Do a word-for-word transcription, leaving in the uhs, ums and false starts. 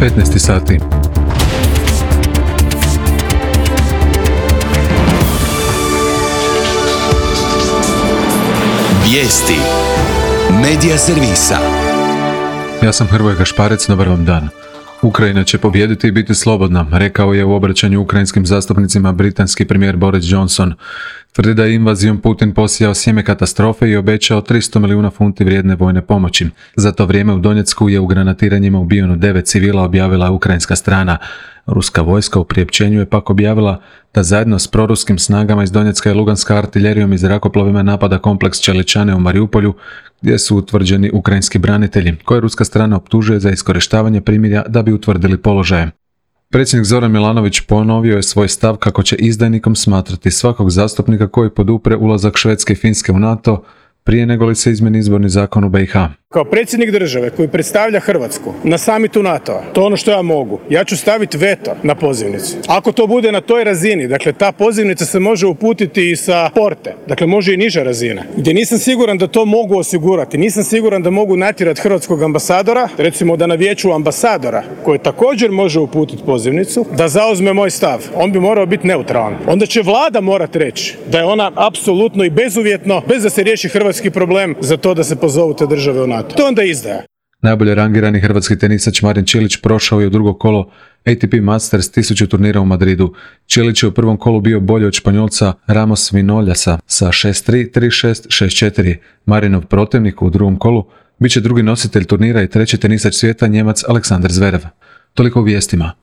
petnaest sati. Vijesti Medija servisa. Ja sam Hrvoje Gašparec, dobar vam dan. Ukrajina će pobijediti i biti slobodna, rekao je u obraćanju ukrajinskim zastupnicima britanski premijer Boris Johnson. Tvrdi da je invazijom Putin posijao sjeme katastrofe i obećao tristo milijuna funti vrijedne vojne pomoći. Za to vrijeme u Donjecku je u granatiranjima ubijeno devet civila, objavila ukrajinska strana. Ruska vojska u priopćenju je pak objavila da zajedno s proruskim snagama iz Donjecka i Luganska artiljerijom i zrakoplovima napada kompleks Čeličane u Mariupolju, gdje su utvrđeni ukrajinski branitelji, koje ruska strana optužuje za iskorištavanje primirja da bi utvrdili položaje. Predsjednik Zoran Milanović ponovio je svoj stav kako će izdajnikom smatrati svakog zastupnika koji podupre ulazak Švedske i Finske u NATO prije nego li se izmeni izborni zakon u B i H. Kao predsjednik države koji predstavlja Hrvatsku na samitu NATO-a, to je ono što ja mogu. Ja ću staviti veto na pozivnicu. Ako to bude na toj razini, dakle ta pozivnica se može uputiti i sa porte, dakle može i niža razina, gdje nisam siguran da to mogu osigurati. Nisam siguran da mogu natjerati hrvatskog ambasadora, recimo da na vijeću ambasadora, koji također može uputiti pozivnicu, da zauzme moj stav. On bi morao biti neutralan. Onda će vlada morati reći da je ona apsolutno i bezuvjetno, bez da se riješi hrvatski problem, za to da se pozovu te države u NATO. To onda izdaja. Najbolje rangirani hrvatski tenisač Marin Čilić prošao je u drugo kolo A T P Masters tisuću turnira u Madridu. Čilić je u prvom kolu bio bolji od Španjolca Ramos Vinoljasa sa šest tri, tri šest, šest četiri. Marinov protivnik u drugom kolu bit će drugi nositelj turnira i treći tenisač svijeta Njemac Aleksandar Zverev. Toliko u vijestima.